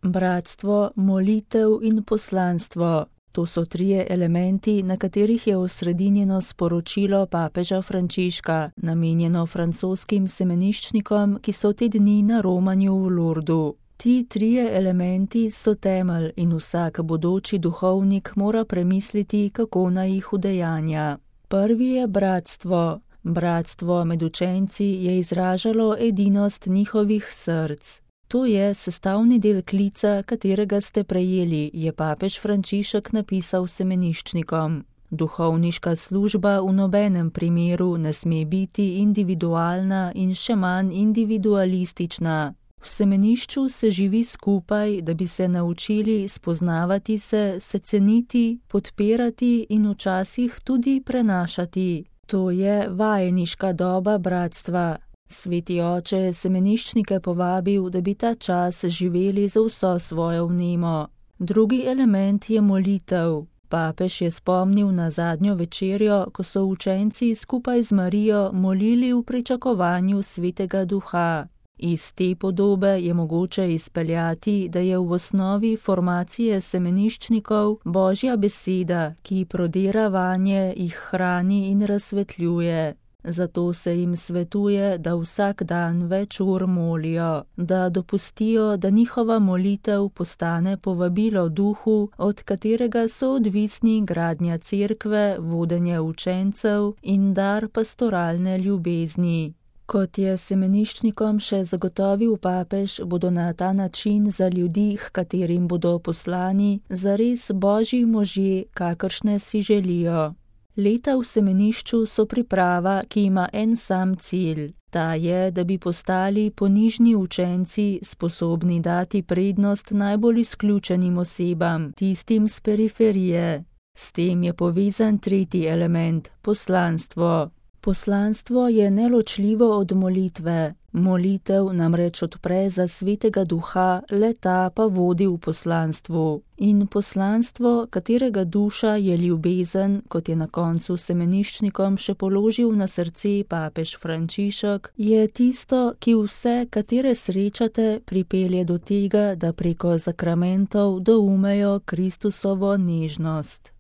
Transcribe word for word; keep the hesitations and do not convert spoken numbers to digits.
Bratstvo, molitev in poslanstvo. To so trije elementi, na katerih je osredinjeno sporočilo papeža Frančiška, namenjeno francoskim semeniščnikom, ki so te dni na romanju v Lourdu. Ti trije elementi so temelj in vsak bodoči duhovnik mora premisliti, kako naj jih udejanja. Prvi je bratstvo. Bratstvo med učenci je izražalo edinost njihovih src. To je sestavni del klica, katerega ste prejeli, je papež Frančišek napisal semeniščnikom. Duhovniška služba v nobenem primeru ne sme biti individualna in še manj individualistična. V semenišču se živi skupaj, da bi se naučili spoznavati se, se ceniti, podpirati in včasih tudi prenašati. To je vajeniška doba bratstva. Sveti oče je semeniščnike povabil, da bi ta čas živeli za vso svojo vnemo. Drugi element je molitev. Papež je spomnil na zadnjo večerjo, ko so učenci skupaj z Marijo molili v pričakovanju Svetega Duha. Iz te podobe je mogoče izpeljati, da je v osnovi formacije semeniščnikov Božja beseda, ki prodira vanje, jih hrani in razsvetljuje. Zato se jim svetuje, da vsak dan več ur molijo, da dopustijo, da njihova molitev postane povabilo duhu, od katerega so odvisni gradnja cerkve, vodenje učencev in dar pastoralne ljubezni. Kot je semeniščnikom še zagotovil papež, bodo na ta način za ljudi, h katerim bodo poslani, zares Božji možje, kakršne si želijo. Leta v semenišču so priprava, ki ima en sam cilj. Ta je, da bi postali ponižni učenci, sposobni dati prednost najbolj izključenim osebam, tistim z periferije. S tem je povezan tretji element, poslanstvo. Poslanstvo je neločljivo od molitve. Molitev namreč odpre za Svetega Duha, le ta pa vodi v poslanstvu. In poslanstvo, katerega duša je ljubezen, kot je na koncu semeniščnikom še položil na srce papež Frančišek, je tisto, ki vse, katere srečate, pripelje do tega, da preko zakramentov doumejo Kristusovo nežnost.